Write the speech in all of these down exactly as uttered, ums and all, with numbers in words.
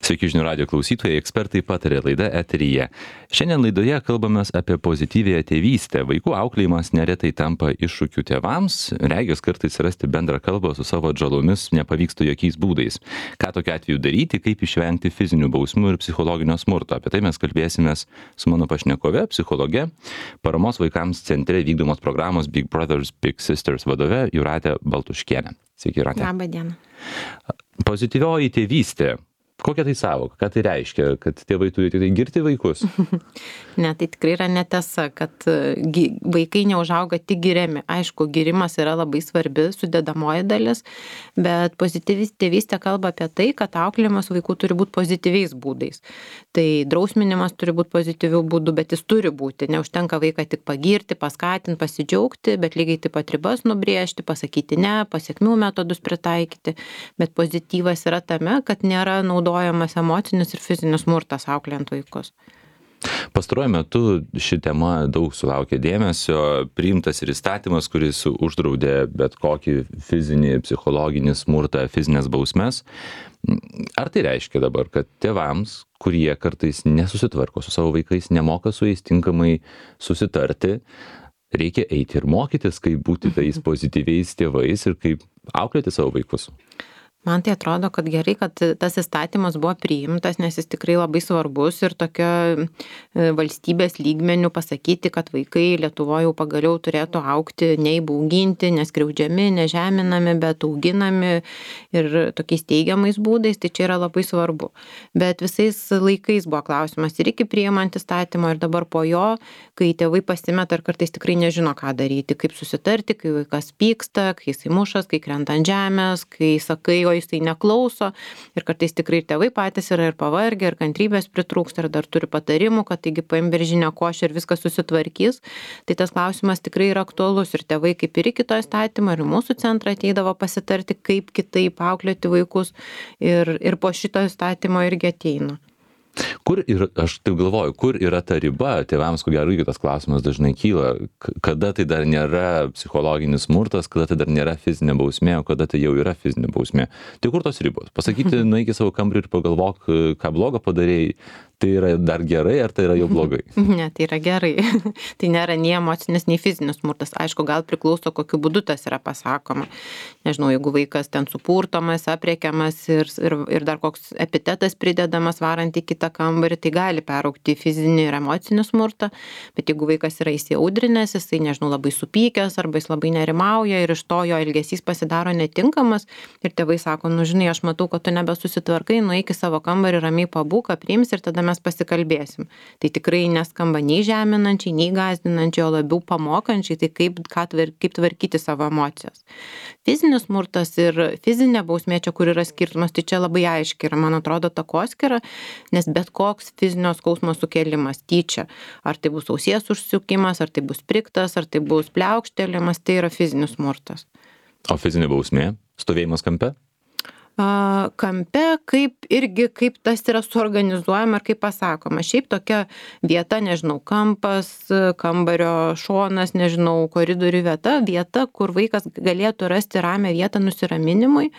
Sveiki žinių radijo klausytojai, ekspertai patarė laida eteryje. Šiandien laidoje kalbamės apie pozityvėją tėvystę. Vaikų auklėjimas neretai tampa iššūkiu tėvams, regis kartais rasti bendrą kalbą su savo atžalomis nepavyksta jokiais būdais. Ką tokiu atveju daryti, kaip išvengti fizinių bausmių ir psichologinio smurto. Apie tai mes kalbėsimės su mano pašnekove, psichologe, paramos vaikams centre vykdomos programos Big Brothers Big Sisters vadove Jūratė Baltuškienė. Sveiki, Jūratė. Labą dieną. Pozityvioji tėvystė. Kokia tai sąvoka? Ką tai reiškia? Kad tėvai turi tik tai girti vaikus? Ne, tai tikrai yra netiesa, kad vaikai neužauga tik giriami. Aišku, girimas yra labai svarbi sudedamoji dalis, bet pozityvi tėvystė kalba apie tai, kad auklėjimas vaikų turi būti pozityviais būdais. Tai drausminimas turi būti pozityvių būdų, bet jis turi būti. Neužtenka vaiką tik pagirti, paskatinti, pasidžiaugti, bet lygiai taip pat ribas nubrėžti, pasakyti ne, pasiekmių metodus pritaikyti. Bet pozityvas yra tame, kad nėra naudojamas naudojamas emocinis ir fizinis smurtas auklėjant vaikus. Pastaruoju metu ši tema daug sulaukė dėmesio, priimtas ir įstatymas, kuris uždraudė bet kokį fizinį, psichologinį smurtą, fizinės bausmes. Ar tai reiškia dabar, kad tėvams, kurie kartais nesusitvarko su savo vaikais, nemoka su jais tinkamai susitarti, reikia eiti ir mokytis, kaip būti tais pozityviais tėvais ir kaip auklėti savo vaikus? Man tai atrodo, kad gerai, kad tas įstatymas buvo priimtas, nes jis tikrai labai svarbus ir tokio valstybės lygmenių pasakyti, kad vaikai Lietuvoje jau pagaliau turėtų augti neįbauginti, neskriaudžiami, nežeminami, bet auginami ir tokiais teigiamais būdais, tai čia yra labai svarbu. Bet visais laikais buvo klausimas ir iki priimant įstatymą ir dabar po jo, kai tėvai pasimeta ir kartais tikrai nežino, ką daryti, kaip susitarti, kai vaikas pyksta, kai jisai mušas, kai krenta ant žemės, kai sakai, o jisai neklauso ir kartais tikrai tėvai patys yra ir pavargę, ir kantrybės pritrūksta, ir dar turi patarimų, kad taigi paim beržinę košę ir viskas susitvarkys. Tai tas klausimas tikrai yra aktualus ir tėvai kaip ir iki to įstatymo ir mūsų centrą ateidavo pasitarti, kaip kitaip auklėti vaikus ir, ir po šito įstatymo irgi ateina. Kur ir aš taip galvoju, kur yra ta riba, tėvams, ko gero, tas klausimas dažnai kyla, kada tai dar nėra psichologinis smurtas, kada tai dar nėra fizinė bausmė, o kada tai jau yra fizinė bausmė. Tai kur tos ribos? Pasakyti, nueik į savo kambarį ir pagalvok, ką blogo padarėjai, tai yra dar gerai, ar tai yra jau blogai? Ne, tai yra gerai. Tai nėra nei emocinis, nei fizinis smurtas. Aišku, gal priklauso, kokiu būdu tas yra pasakoma. Nežinau, jeigu vaikas ten supurtomas, aprėkiamas ir, ir, ir dar koks epitetas pridedamas varant į kitą kambarį, tai gali peraugti į fizinį ir emocinį smurtą. Bet jeigu vaikas yra įsiaudrinęs, jisai, nežinau, labai supykęs arba jis labai nerimauja ir iš to jo elgesys pasidaro netinkamas ir tėvai sako, nu žinai, aš matau, kad tu nebesusitvarkai, nueik į savo kambarį, ramiai pabūk, apriims ir tada mes pasikalbėsim. Tai tikrai neskamba nei žeminančiai, nei gąsdinančiai, o labiau pamokančiai, tai kaip, ką, kaip tvarkyti savo emocijas. Fizinis smurtas ir fizinė bausmė čia, kur yra skirtumas, tai čia labai aiškiai yra, man atrodo, takoskyra, nes bet koks fizinio skausmo sukėlimas tyčia, ar tai bus ausies užsukimas, ar tai bus priktas, ar tai bus pliaukštėlimas, tai yra fizinis smurtas. O fizinė bausmė? Stovėjimas kampe? Kampe, kaip irgi, kaip tas yra suorganizuojama ir kaip pasakoma. Šiaip tokia vieta, nežinau, kampas, kambario šonas, nežinau, koridorių vieta, vieta, kur vaikas galėtų rasti ramią vietą nusiraminimui,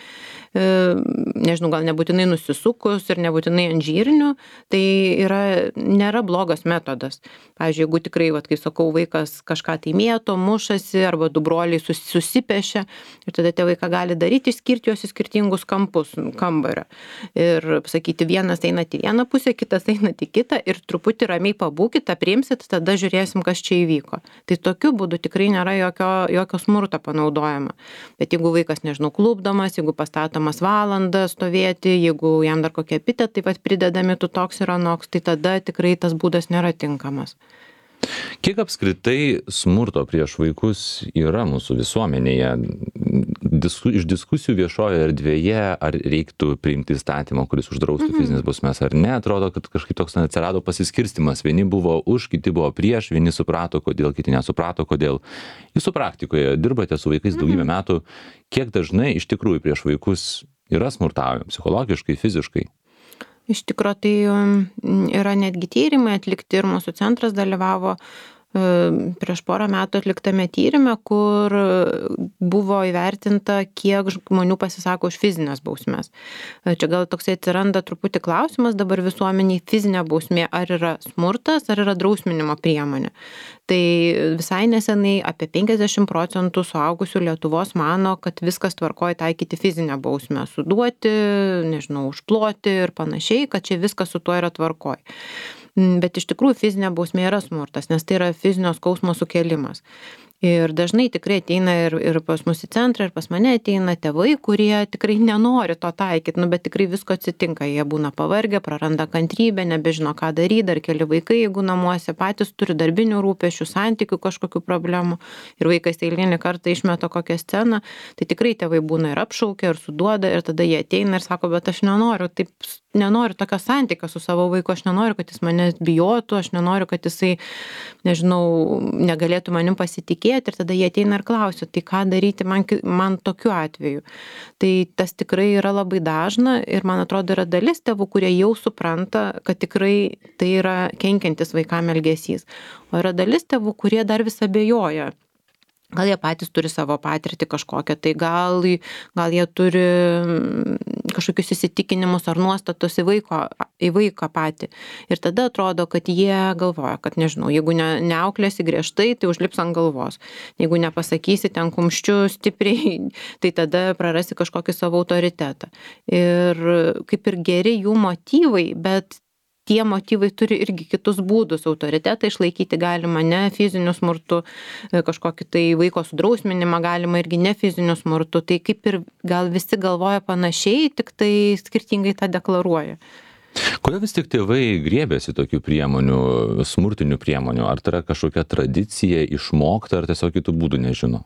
nežinau, gal nebūtinai nusisukus ir nebūtinai ant žirnių, tai yra, nėra blogas metodas. Pavyzdžiui, jeigu tikrai, vat, kaip sakau, vaikas kažką tai mėto, mušasi arba du broliai sus, susipešia ir tada tie vaikai gali daryti, išskirti juos į skirtingus kampus kambario. Ir sakyti, vienas eina į vieną pusę, kitas eina į kitą ir truputį ramiai pabūkite, priimsit, tada žiūrėsim, kas čia įvyko. Tai tokiu būdu tikrai nėra jokio, jokio smurto panaudojama. Bet jeigu vaikas, nežinau, klupdomas, jeigu pastatomas valandą stovėti, jeigu jam dar kokie epitetai taip pat pridedami, tu toks ir anoks, tai tada tikrai tas būdas nėra tinkamas. Kiek apskritai smurto prieš vaikus yra mūsų visuomenėje? Disku, iš diskusijų viešoje erdvėje, ar reiktų priimti įstatymą, kuris uždraustų mm-hmm. fizinės bausmes ar ne, atrodo, kad kažkaip toks atsirado pasiskirstimas. Vieni buvo už, kiti buvo prieš, vieni suprato, kodėl, kiti nesuprato, kodėl. Jūsų praktikoje dirbate su vaikais mm-hmm. daugybę metų. Kiek dažnai iš tikrųjų prieš vaikus yra smurtaujama psichologiškai, fiziškai? Iš tikro tai yra netgi tyrimai atlikti ir mūsų centras dalyvavo prieš porą metų atliktame tyrime, kur buvo įvertinta, kiek žmonių pasisako už fizinės bausmes. Čia gal toksai atsiranda truputį klausimas dabar visuomeniai, fizinė bausmė ar yra smurtas, ar yra drausminimo priemonė. Tai visai nesenai apie penkiasdešimt procentų suaugusių Lietuvos mano, kad viskas tvarkoja taikyti fizinę bausmę, suduoti, nežinau, užploti ir panašiai, kad čia viskas su tuo yra tvarkoja. Bet iš tikrųjų fizinė bausmė yra smurtas, nes tai yra fizinio skausmo sukėlimas. Ir dažnai tikrai ateina ir, ir pas mus į centrą, ir pas mane ateina tėvai, kurie tikrai nenori to taikyti, nu, bet tikrai visko atsitinka. Jie būna pavargę, praranda kantrybę, nebežino, ką daryti, dar keli vaikai, jeigu namuose patys turi darbinių rūpesčių, santykių kažkokių problemų ir vaikas eilinį kartą išmeta kokią sceną, tai tikrai tėvai būna ir apšaukia, ir suduoda, ir tada jie ateina ir sako, bet aš nenoriu, taip nenoriu tokio santykio su savo vaiku, aš nenoriu, kad jis mane bijotų, aš nenoriu, kad jisai, nežinau, negalėtų manim pasitikėti. Ir tada jie ateina ir klausia, tai ką daryti man, man tokiu atveju. Tai tas tikrai yra labai dažna ir man atrodo yra dalis tėvų, kurie jau supranta, kad tikrai tai yra kenkiantis vaikam elgesys. O yra dalis tėvų, kurie dar vis abejoja. Gal jie patys turi savo patirtį kažkokią, tai gal, gal jie turi kažkokius įsitikinimus ar nuostatus į, vaiko, į vaiką patį. Ir tada atrodo, kad jie galvoja, kad nežinau, jeigu ne, neauklėsi griežtai, tai užlips ant galvos. Jeigu nepasakysi ten kumščiu stipriai, tai tada prarasi kažkokį savo autoritetą. Ir kaip ir geri jų motyvai, bet tie motyvai turi irgi kitus būdus. Autoritetą išlaikyti galima ne fiziniu smurtu, kažkokį tai vaiko sudrausminimą galima irgi ne fiziniu smurtu. Tai kaip ir gal visi galvoja panašiai, tik tai skirtingai tą deklaruoja. Kodėl vis tik tėvai griebėsi tokių priemonių, smurtinių priemonių? Ar tai yra kažkokia tradicija išmokta, ar tiesiog kitų būdų nežino?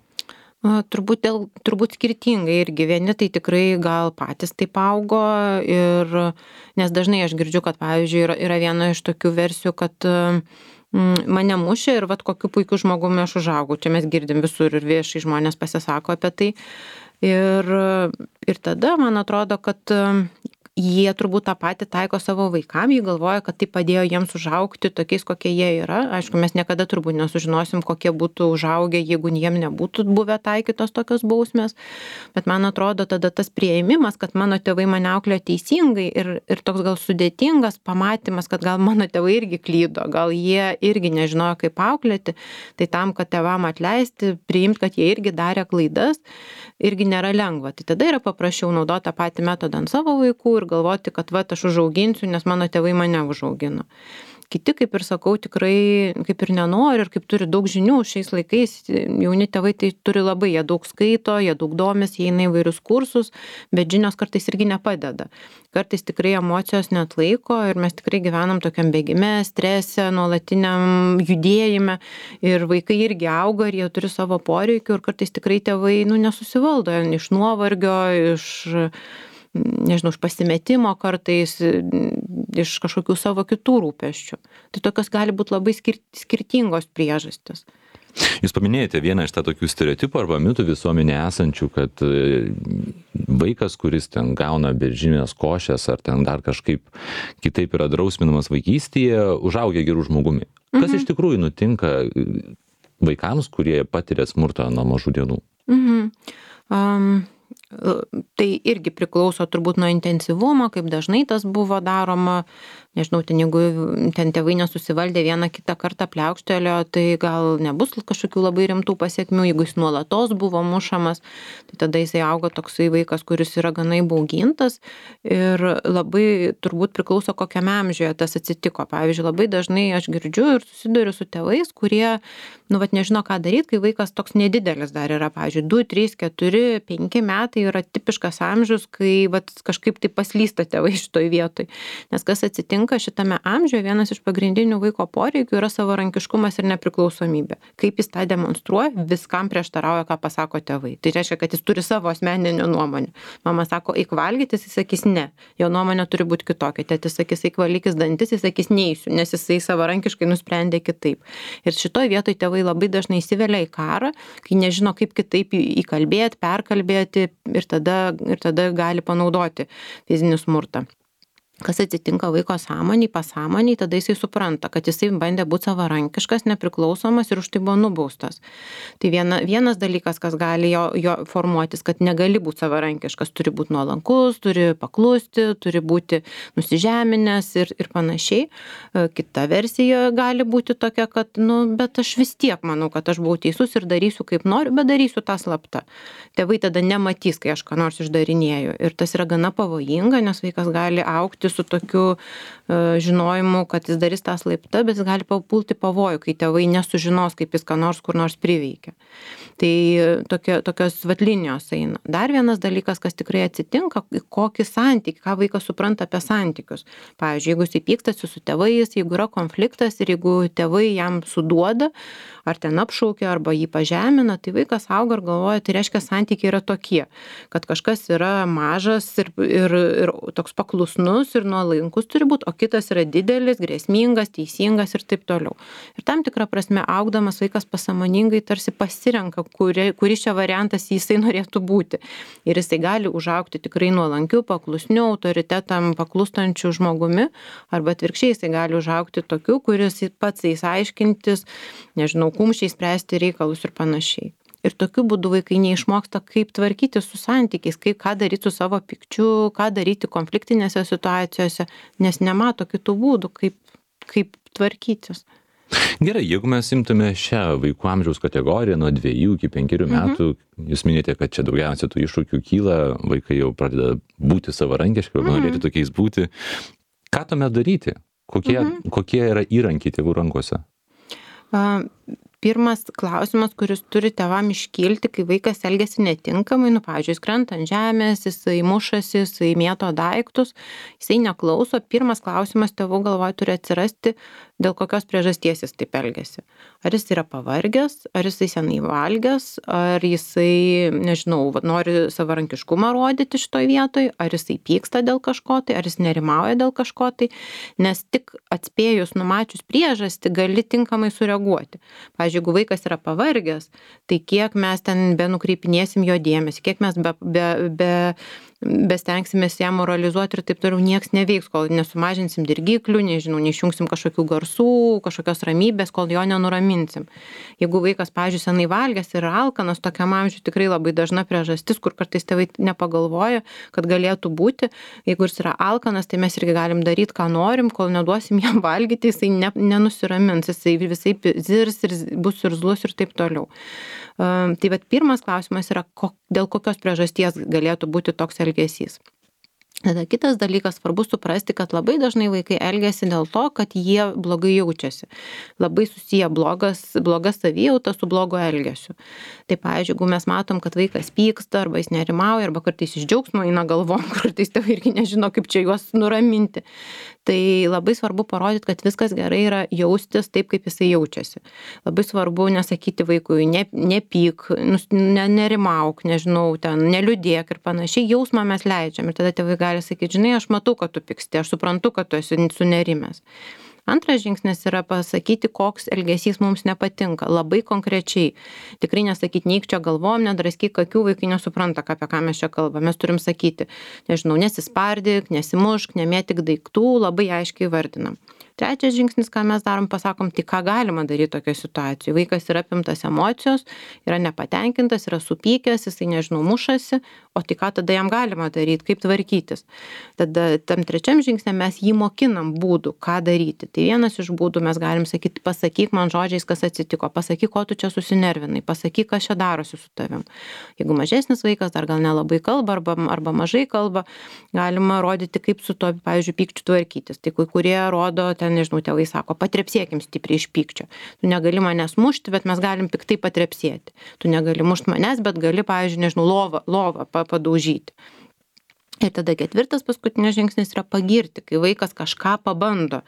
Turbūt, dėl, turbūt skirtingai irgi. Vieni tai tikrai gal patys taip augo, ir, nes dažnai aš girdžiu, kad pavyzdžiui yra, yra viena iš tokių versijų, kad mm, mane mušė ir vat kokiu puikiu žmogumi aš užaugau. Čia mes girdim visur ir viešai žmonės pasisako apie tai. Ir, ir tada man atrodo, kad jie turbūt tą patį taiko savo vaikam, jie galvoja, kad tai padėjo jiems užaugti tokiais, kokie jie yra. Aišku, mes niekada turbūt nesužinosim, kokie būtų užaugę, jeigu jiem nebūtų buvę taikytos tokios bausmės. Bet man atrodo, tada tas priėmimas, kad mano tėvai mane auklėjo teisingai ir, ir toks gal sudėtingas pamatymas, kad gal mano tėvai irgi klydo, gal jie irgi nežinojo, kaip auklėti, tai tam, kad tėvam atleisti, priimti, kad jie irgi darė klaidas, irgi nėra lengva. Tai tada yra paprasčiau naudoti tą patį metodą ant savo vaikų ir galvoti, kad va, aš užauginsiu, nes mano tėvai mane užaugino. Kiti, kaip ir sakau, tikrai kaip ir nenori ir kaip turi daug žinių šiais laikais, jauni tėvai tai turi labai, jie daug skaito, jie daug domės, jie eina įvairius kursus, bet žinios kartais irgi nepadeda. Kartais tikrai emocijos neatlaiko ir mes tikrai gyvenam tokiam bėgime, strese, nuolatiniam judėjime ir vaikai irgi auga ir jie turi savo poreikių ir kartais tikrai tėvai nu, nesusivaldo iš nuovargio, iš nežinau, iš pasimetimo kartais, iš kažkokių savo kitų rūpesčių. Tai tokios gali būti labai skir- skirtingos priežastis. Jūs paminėjote vieną iš tą tokių stereotipų arba mitų visuomenėje esančių, kad vaikas, kuris ten gauna beržinės košės ar ten dar kažkaip kitaip yra drausminamas vaikystėje, užaugia gerų žmogumi. Kas mhm. iš tikrųjų nutinka vaikams, kurie patiria smurtą nuo mažų dienų? Mhm. Um... Tai irgi priklauso turbūt nuo intensyvumo, kaip dažnai tas buvo daroma. Nežinau, ten jeigu ten tėvai nesusivaldė vieną kitą kartą pliaukštelio, tai gal nebus kažkokių labai rimtų pasiekmių. Jeigu jis nuolatos buvo mušamas, tai tada jisai auga toksai vaikas, kuris yra gana įbaugintas ir labai turbūt priklauso kokiame amžiuje tas atsitiko. Pavyzdžiui, labai dažnai aš girdžiu ir susiduriu su tėvais, kurie, nu, vat nežino, ką daryti, kai vaikas toks nedidelis dar yra. Pavyzdžiui, du, trys, keturi, penki metai yra tipiškas amžius, kai vat kažkaip tai paslysta tėvai šitoj vietoj. Nes kas atsitinka šitame amžiuje, vienas iš pagrindinių vaiko poreikių yra savarankiškumas ir nepriklausomybė. Kaip jis tą demonstruoja, viskam prieštarauja, ką pasako tėvai. Tai reiškia, kad jis turi savo asmeninę nuomonę. Mama sako, eik valgyti, jis sakys ne. Jo nuomonė turi būti kitokia. Tėtis sakys, eik valykis dantis, jis sakys neįsiu, nes jisai savarankiškai nusprendė kitaip. Ir šitoj vietoj tėvai labai dažnai įsivelia į karą, kai nežino, kaip kitaip įkalbėti, perkalbėti ir tada, ir tada gali panaudoti fizinį smurtą. kas atsitinka vaiko sąmoniai, pasąmoniai, tada jisai supranta, kad jisai bandė būti savarankiškas, nepriklausomas ir už tai buvo nubaustas. Tai viena, vienas dalykas, kas gali jo, jo formuotis, kad negali būti savarankiškas, turi būti nuolankus, turi paklusti, turi būti nusižeminęs ir, ir panašiai. Kita versija gali būti tokia, kad, nu, bet aš vis tiek manau, kad aš buvau teisus ir darysiu kaip noriu, bet darysiu tą slaptą. Tėvai tada nematys, kai aš ką nors išdarinėju. Ir tas yra gana pavojinga, nes vaikas gali augti su tokiu uh, žinojimu, kad jis darys tą slaptą, bet jis gali papulti pavojų, kai tėvai nesužinos, kaip jis ką nors kur nors priveikia. Tai tokie, tokios vatlinijos eina. Dar vienas dalykas, kas tikrai atsitinka, kokį santykį, ką vaikas supranta apie santykius. Pavyzdžiui, jeigu jis pykstasi su tėvais, jeigu yra konfliktas ir jeigu tėvai jam suduoda, ar ten apšaukia, arba jį pažemina, tai vaikas auga ir galvoja, tai reiškia santykiai yra tokie, kad kažkas yra mažas ir, ir, ir toks paklusnus ir nuolankus turi būti, o kitas yra didelis, grėsmingas, teisingas ir taip toliau. Ir tam tikrą prasme augdamas vaikas pasąmoningai tarsi pasirenka, kuri, kuris čia variantas jisai norėtų būti. Ir jisai gali užaugti tikrai nuolankiu, paklusniu, autoritetam paklūstančiu žmogumi, arba atvirkščiai jisai gali užaugti tokiu, kuris pats eis aiškintis, nežinau, kumščiai spręsti reikalus ir panašiai. Ir tokiu būdu vaikai neišmoksta, kaip tvarkyti su santykiais, kaip ką daryti su savo pykčiu, ką daryti konfliktinėse situacijose, nes nemato kitų būdų, kaip, kaip tvarkytis. Gerai, jeigu mes imtume šią vaikų amžiaus kategoriją nuo dviejų iki penkerių metų, mhm. jūs minėjote, kad čia daugiausia tų iššūkių kyla, vaikai jau pradeda būti savarankiški, arba mhm. norėti tokiais būti. Ką tuomet daryti? Kokie, mhm. kokie yra įrankiai tėvų rankose? Uh, Pirmas klausimas, kuris turi tėvam iškilti, kai vaikas elgiasi netinkamai, nu, pavyzdžiui, jis krenta ant žemės, jisai mušasi, jisai mėto daiktus, jisai neklauso. Pirmas klausimas tėvų galvoje turi atsirasti, dėl kokios priežasties jis taip elgiasi. Ar jis yra pavargęs, ar jisai senai valgęs, ar jisai, nežinau, nori savarankiškumą rodyti šitoj vietoj, ar jisai pyksta dėl kažko tai, ar jis nerimauja dėl kažko tai, nes tik atspėjus, numačius priežastį, gali tinkamai sureaguoti. Pavyzdžiui, jeigu vaikas yra pavargęs, tai kiek mes ten benukreipinėsim jo dėmesį, kiek mes be, be, be, bestengsimės ją moralizuoti ir taip toliau, nieks neveiks, kol nesumažinsim dirgiklių, nežinau, neišjungsim kažkokių garsų, kažkokios ramybės, kol jo nenuraminsim. Jeigu vaikas, pavyzdžiui, senai valgęs ir alkanas, tokiam amžiui tikrai labai dažna priežastis, kur kartais tėvai nepagalvoja, kad galėtų būti. Jeigu jis yra alkanas, tai mes irgi galim daryti, ką norim, kol neduosim jam valgyti, jisai ne, nenusiramins, jisai visai zirs ir bus irzlus ir taip toliau. Um, tai vat pirmas klausimas yra, ko, dėl kokios priežasties galėtų būti toks elgesys. Tada kitas dalykas, svarbu suprasti, kad labai dažnai vaikai elgiasi dėl to, kad jie blogai jaučiasi. Labai susiję blogas, blogas savijauta su blogo elgesiu. Tai, pavyzdžiui, jeigu mes matom, kad vaikas pyksta, arba jis nerimauja, arba kartais iš džiaugsmo eina galvom, kartais tėvai irgi nežino, kaip čia juos nuraminti. Tai labai svarbu parodyti, kad viskas gerai yra jaustis taip, kaip jisai jaučiasi. Labai svarbu nesakyti vaikui, ne, nepyk, ne, nerimauk, nežinau, ten, neliūdėk ir panašiai. Jausmą mes leidžiam ir tada tėvai gali sakyti, žinai, aš matau, kad tu pyksti, aš suprantu, kad tu esi sunerimęs. Antras žingsnis yra pasakyti, koks elgesys mums nepatinka, labai konkrečiai. Tikrai nesakyti, neik čia galvom, nedraskyk akių, vaikai nesupranta, apie ką mes čia kalbame. Mes turim sakyti, nežinau, nesispardyk, nesimušk, nemėtik daiktų, labai aiškiai vardinam. Trečias žingsnis, ką mes darom, pasakom, tai ką galima daryti tokioje situacijoje. Vaikas yra apimtas emocijos, yra nepatenkintas, yra supykęs, jisai, nežinau, mušasi, o tai ką tada jam galima daryti, kaip tvarkytis. Tada tam trečiam žingsnė mes jį mokinam būdų, ką daryti. Tai vienas iš būdų mes galim sakyti, pasakyk man žodžiais, kas atsitiko, pasakyk, ko tu čia susinervinai, pasakyk, kas čia darosi su tavim. Jeigu mažesnis vaikas dar gal nelabai kalba arba, arba mažai kalba, galima rodyti, kaip su to, pavyzdžiui, pykčiu tvarkytis. Tai kai kurie rodo, ten, nežinau, tėvai sako, patrepsėkim stipriai iš pykčio. Tu negali manęs mušti, bet mes galim piktai patrepsėti. Tu negali mušti manęs, bet gali, pavyzdžiui, nežinau, lovą, lovą padaužyti. Ir tada ketvirtas paskutinis žingsnis yra pagirti, kai vaikas kažką pabando.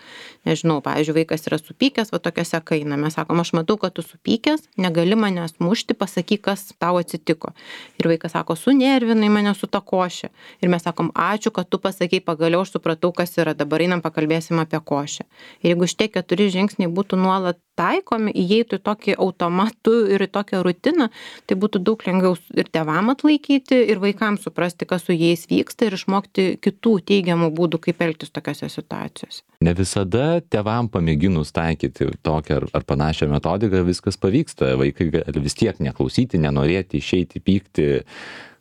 Nežinau, pavyzdžiui, vaikas yra supykęs, va tokiose kaina. Mes sakom, aš matau, kad tu supykęs, negali manęs mušti, pasakyk, kas tau atsitiko. Ir vaikas sako, sunervinai mane su ta košė. Ir mes sakom, ačiū, kad tu pasakei, pagaliau aš supratau, kas yra, dabar einam pakalbėsim apie košę. Ir jeigu šitie keturi žingsniai būtų nuolat taikomi, įeitų į tokį automatų ir į tokią rutiną, tai būtų daug lengviau ir tėvam atlaikyti, ir vaikams suprasti, kas su jais vyksta. vyksta ir išmokti kitų teigiamų būdų, kaip elgtis tokiose situacijose. Ne visada tėvam pamėginus taikyti tokią ar, ar panašią metodiką viskas pavyksta. Vaikai gali vis tiek neklausyti, nenorėti, išeiti, pykti.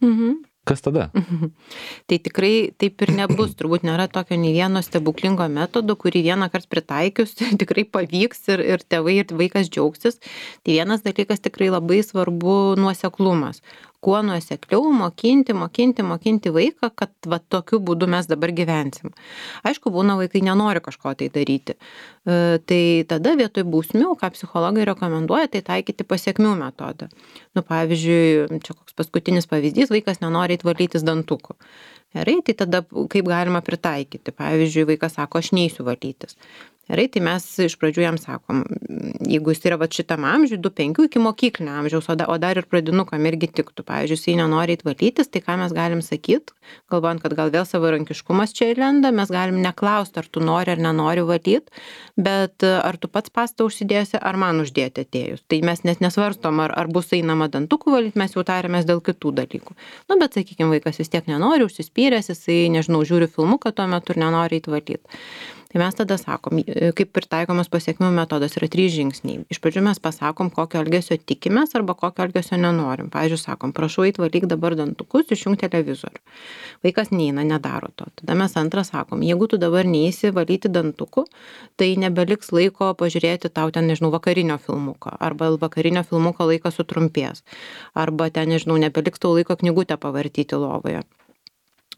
Mhm. Kas tada? Mhm. Tai tikrai taip ir nebus. Turbūt nėra tokio nei vieno stebuklingo metodo, kurį vieną kartą pritaikius tikrai pavyks ir, ir tėvai ir vaikas džiaugsis. Tai vienas dalykas tikrai labai svarbu nuoseklumas. Kuo nuosekliau mokinti, mokinti, mokinti vaiką, kad va, tokiu būdu mes dabar gyvensim. Aišku, būna vaikai nenori kažko tai daryti. E, tai tada vietoj bausmių, ką psichologai rekomenduoja, tai taikyti pasiekmių metodą. Nu, pavyzdžiui, čia koks paskutinis pavyzdys, vaikas nenori eit valytis dantukų. Gerai, tai tada kaip galima pritaikyti? Pavyzdžiui, vaikas sako, aš neisiu valytis. Gerai, tai mes iš pradžių jam sakom, jeigu jis yra va šitam amžiui, du penkių iki mokyklinio amžiaus, o, da, o dar ir pradinukam irgi tiktų. Pavyzdžiui, jis nenori eit valytis, tai ką mes galim sakyti, galvojant, kad gal vėl savarankiškumas čia įlenda, mes galim neklausti, ar tu nori ar nenori valyti, bet ar tu pats pastą užsidėsi, ar man uždėti atėjus. Tai mes net nesvarstom, ar, ar bus einama dantukų valyti, mes jau tarėmės dėl kitų dalykų. Nu, bet sakykime, vaikas vis tiek nenori, užsispyręs, jisai, nežinau, žiūri filmuką tuo metu ir nenori eit valyti. Tai mes tada sakom, kaip pritaikomas pasiekmių metodas yra trys žingsniai. Iš pradžių mes pasakom, kokio elgesio tikimės arba kokio elgesio nenorim. Pavyzdžiui, sakom, prašau eit valyk dabar dantukus, išjunk televizorių. Vaikas neina, nedaro to. Tada mes antrą sakom, jeigu tu dabar neisi valyti dantukų, tai nebeliks laiko pažiūrėti tau ten, nežinau, vakarinio filmuko. Arba vakarinio filmuko laikas sutrumpės. Arba ten, nežinau, nebeliks tau laiko knygutę pavartyti lovoje.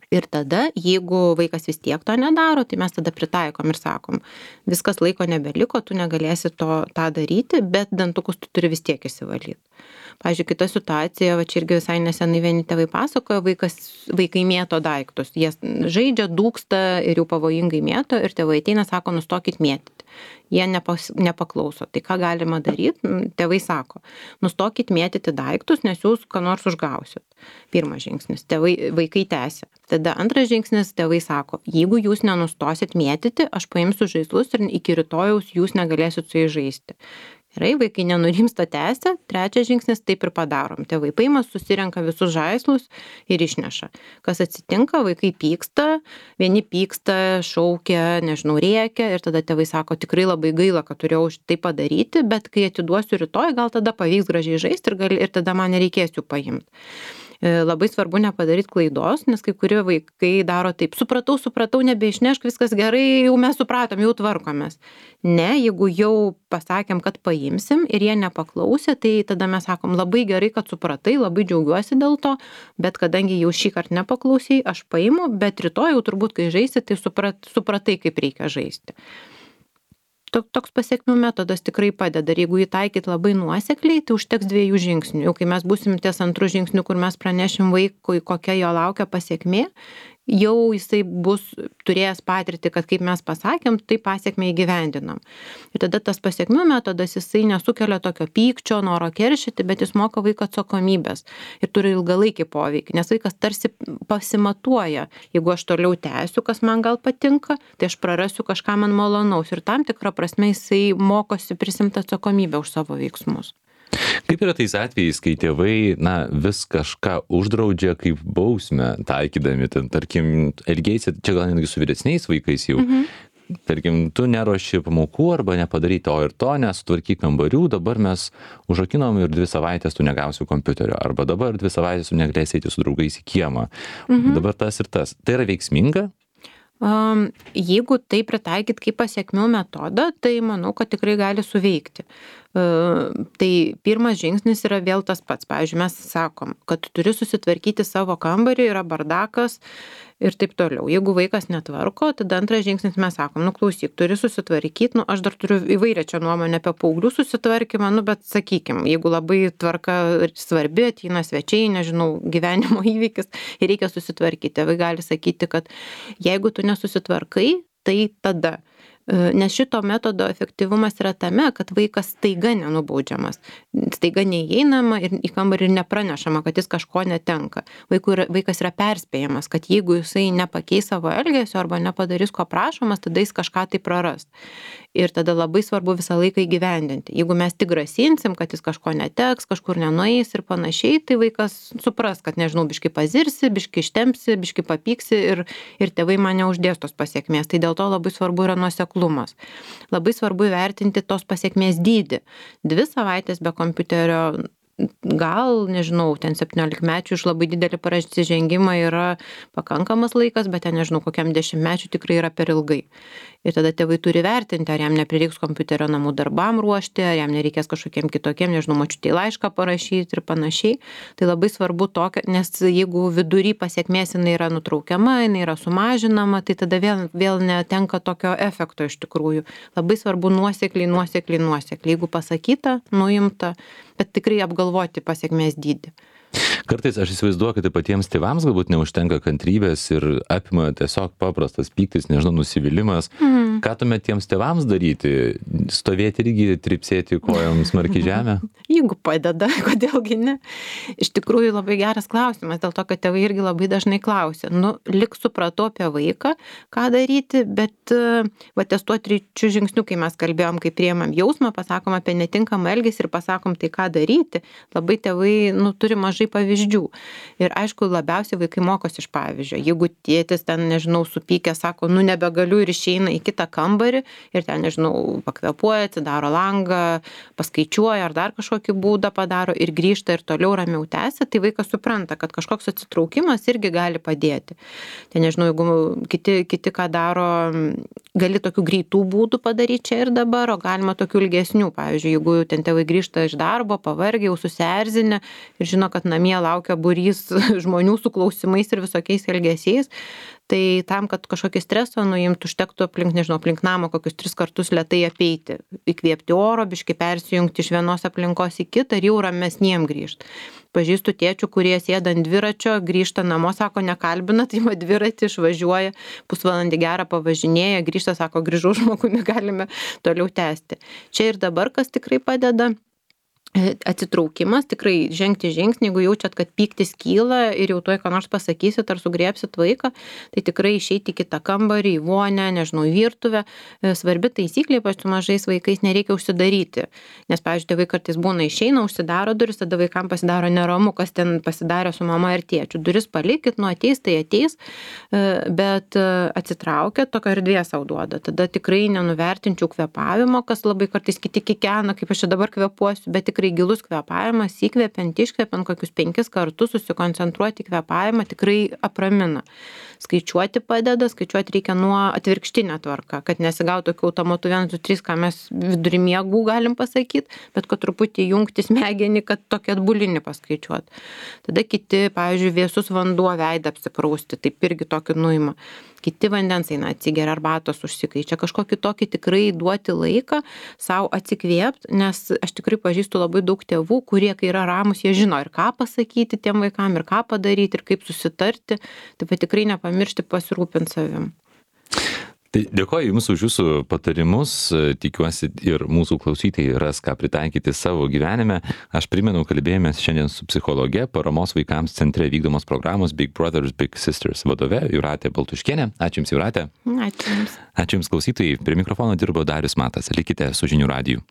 Ir tada, jeigu vaikas vis tiek to nedaro, tai mes tada pritaikom ir sakom, viskas laiko nebeliko, tu negalėsi to, tą daryti, bet dantukus tu turi vis tiek įsivalyti. Pavyzdžiui, kita situacija, va čia irgi visai nesenai vieni tėvai pasakojo, vaikas, vaikai mėto daiktus, jie žaidžia, dūksta ir jau pavojingai mėto ir tėvai ateina, sako, nustokit mėtyti. Jie nepas, nepaklauso. Tai ką galima daryti? Tėvai sako, nustokit mėtyti daiktus, nes jūs ką nors užgausit. Pirmas žingsnis, tėvai, vaikai tęsia. Tada antras žingsnis, tėvai sako, jeigu jūs nenustosit mėtyti, aš paimsiu žaislus ir iki rytojaus jūs negalėsit su jais žaisti. Gerai, vaikai nenurimsta tęsia. Trečias žingsnis, taip ir padarom. Tėvai paima, susirenka visus žaislus ir išneša. Kas atsitinka, vaikai pyksta, vieni pyksta, šaukia, nežinau, rėkia ir tada tėvai sako, tikrai labai gaila, kad turėjau tai padaryti, bet kai atiduosiu rytoj, gal tada pavyks gražiai žaisti ir, gal, ir tada man nereikės jų paimti. Labai svarbu nepadaryti klaidos, nes kai kurie vaikai daro taip, supratau, supratau, nebeišnešk, viskas gerai, jau mes supratom, jau tvarkomės. Ne, jeigu jau pasakėm, kad paimsim ir jie nepaklausė, tai tada mes sakom, labai gerai, kad supratai, labai džiaugiuosi dėl to, bet kadangi jau šį kartą nepaklausai, aš paimu, bet rytoj jau turbūt, kai žaisi, tai suprat, supratai, kaip reikia žaisti. Toks pasiekmių metodas tikrai padeda. Ir jeigu jį taikyti labai nuosekliai, tai užteks dviejų žingsnių. Jau kai mes būsim ties antrų žingsnių, kur mes pranešim vaikui, kokia jo laukia pasiekmė, jau jisai bus turėjęs patirtį, kad kaip mes pasakėm, tai pasiekmę įgyvendinam. Ir tada tas pasiekmių metodas, jisai nesukelia tokio pykčio, noro keršyti, bet jis moka vaiką atsakomybės ir turi ilgalaikį poveikį, nes vaikas tarsi pasimatuoja, jeigu aš toliau tęsiu, kas man gal patinka, tai aš prarasiu kažką man malonaus ir tam tikrą prasme jisai mokosi prisimti atsakomybę už savo veiksmus. Kaip yra tais atvejais, kai tėvai, na, vis kažką uždraudžia kaip bausmę taikydami, ten, tarkim, elgeisi, čia gal netgi su vyresniais vaikais jau, mhm. Tarkim, tu neruoši pamokų arba nepadarai to ir to, nesutvarkyk kambarių, dabar mes užrakinom ir dvi savaitės tu negausi kompiuterio, arba dabar dvi savaitės tu negalėsi eiti su draugais į kiemą, mhm. Dabar tas ir tas. Tai yra veiksminga? Um, jeigu tai pritaikyt kaip pasiekmių metodą, tai manau, kad tikrai gali suveikti. Uh, tai pirmas žingsnis yra vėl tas pats. Pavyzdžiui, mes sakom, kad turi susitvarkyti savo kambarį, yra bardakas ir taip toliau. Jeigu vaikas netvarko, tada antras žingsnis mes sakom, nu klausyk, turi susitvarkyti, nu aš dar turiu įvairią čia nuomonę apie paauglių susitvarkymą, nu bet sakykim, jeigu labai tvarka svarbi, ateina svečiai, nežinau, gyvenimo įvykis ir reikia susitvarkyti, tėvai gali sakyti, kad jeigu tu nesusitvarkai, tai tada. Nes šito metodo efektyvumas yra tame, kad vaikas staiga nenubaudžiamas. Staiga neįeinama ir į kambarį ir nepranešama, kad jis kažko netenka. Vaikų yra, vaikas yra perspėjamas, kad jeigu jisai nepakeis savo elgesio arba nepadarys ko prašomas, tada jis kažką tai praras. Ir tada labai svarbu visą laiką įgyvendinti. Jeigu mes tik grasinsim, kad jis kažko neteks, kažkur nenueis ir panašiai, tai vaikas supras, kad, nežinau, biški pazirsi, biški ištempsi, biški papyksi ir, ir tėvai man neuždės tos pasiekmės. Tai dėl to labai svarbu yra nuoseklumas. Labai svarbu įvertinti tos pasiekmės dydį. Dvi savaitės be kompiuterio, gal, nežinau, ten septyniolikmečių iš labai didelį prasižengimą yra pakankamas laikas, bet ten, nežinau, kokiam dešimtmečiui tikrai yra per ilgai. Ir tada tėvai turi vertinti, ar jam neprireiks kompiuterio namų darbam ruošti, ar jam nereikės kažkokiem kitokiem, nežinau, močiutei laišką parašyti ir panašiai. Tai labai svarbu tokia, nes jeigu vidury pasiekmės jinai yra nutraukiama, jinai yra sumažinama, tai tada vėl, vėl netenka tokio efekto iš tikrųjų. Labai svarbu nuosekliai, nuosekliai, nuosekliai. Jeigu pasakyta, nuimta, bet tikrai apgalvoti pasiekmės dydį. Kartais aš įsivaizduoju, kad patiems tėvams galbūt neužtenka kantrybės ir apima tiesiog paprastas pyktis, nežinau, nusivylimas. Mm. Ką tuomet tiems tėvams daryti? Stovėti irgi, tripsėti kojom smarkiai žemę? Jeigu padeda, kodėlgi ne? Iš tikrųjų labai geras klausimas, dėl to, kad tėvai irgi labai dažnai klausia. Nu, lik supratau apie vaiką, ką daryti, bet va, ties tuo trečiu žingsniu, kai mes kalbėjom, kai priemam jausmą, pasakom apie netinkamą elgesį ir pasakom tai, ką daryti, labai tėvai, nu, turi mažai pavyzdžių. Ir aišku, labiausiai vaikai mokosi iš pavyzdžio. Jeigu tėtis ten, nežinau, supykė, sako, nu nebegaliu ir išeina į kitą kambarį ir ten, nežinau, pakvepuoja, atsidaro langą, paskaičiuoja ar dar kažkokį būdą padaro ir grįžta ir toliau ramiau tęsia, tai vaikas supranta, kad kažkoks atsitraukimas irgi gali padėti. Tai nežinau, jeigu kiti, kiti ką daro, gali tokių greitų būdų padaryti čia ir dabar, o galima tokių ilgesnių. Pavyzdžiui, jeigu ten tėvai grįžta iš darbo, pavargę, jau susierzinę ir žino, kad namie laukia būrys žmonių su klausimais ir visokiais elgesiais, tai tam, kad kažkokį stresą nuimtų, užtektų aplink, nežinau, aplink namą kokius tris kartus lėtai apeiti, įkvėpti oro, biškai persijungti iš vienos aplinkos į kitą ir jau ramesniem grįžti. Pažįstu tėčių, kurie sėda ant dviračio, grįžta namo, sako, nekalbina, tai ma dviratį išvažiuoja, pusvalandį gerą pavažinėja, grįžta, sako, grįžau žmogumi, galime toliau tęsti. Čia ir dabar, kas tikrai padeda, atsitraukimas, tikrai žengti žingsnį, jeigu jaučiat, kad pyktis kyla ir jau tuoj ką nors pasakysit ar sugriebsit vaiką, tai tikrai išeiti į kitą kambarį, į vonę, nežinau, į virtuvę. Svarbi taisyklė, ypač su mažais vaikais, nereikia užsidaryti. Nes, pavyzdžiui, tėvai kartais būna išeina, užsidaro duris, tada vaikams pasidaro neramu, kas ten pasidarė su mama ir tėčiu. Duris palikit, nu ateis, tai ateis, bet atsitraukia, tokia erdvė sau duoda. Tada tikrai nenuvertinčiau kvėpavimo, kas labai kartais kiti kikena, kaip aš čia dabar kvėpuosiu, bet tikrai gilus kvėpavimas, įkvepiant, iškvepiant kokius penkis kartus, susikoncentruoti kvėpavimą tikrai apramina. Skaičiuoti padeda, skaičiuoti reikia nuo atvirkštinę tvarką, kad nesigautų tokių automatų vienas, du, trys, ką mes vidury miegų galim pasakyti, bet kad truputį jungti smegenį, kad tokį atbulinį paskaičiuoti. Tada kiti, pavyzdžiui, vėsus vanduo veidą apsiprausti, taip irgi tokį nuima. Kiti vandens eina, atsigeria arbatos užsikaičia, kažkokį tokį tikrai duoti laiką savo atsikvėpti, nes aš tikrai pažįstu labai daug tėvų, kurie, kai yra ramus, jie žino ir ką pasakyti tiem vaikam, ir ką padaryti, ir kaip susitarti, taip pat tikrai nepamiršti pasirūpinti savim. Tai dėkoju Jums už Jūsų patarimus, tikiuosi ir mūsų klausytojai ras ką pritaikyti savo gyvenime. Aš primenu, kalbėjomės šiandien su psichologe, paramos vaikams centre vykdomos programos Big Brothers Big Sisters vadove Jūratė Baltuškienė. Ačiū Jums, Jūratė. Ačiū Jums. Ačiū Jums, klausytojai. Prie mikrofono dirbo Darius Matas. Likite su Žinių radiju.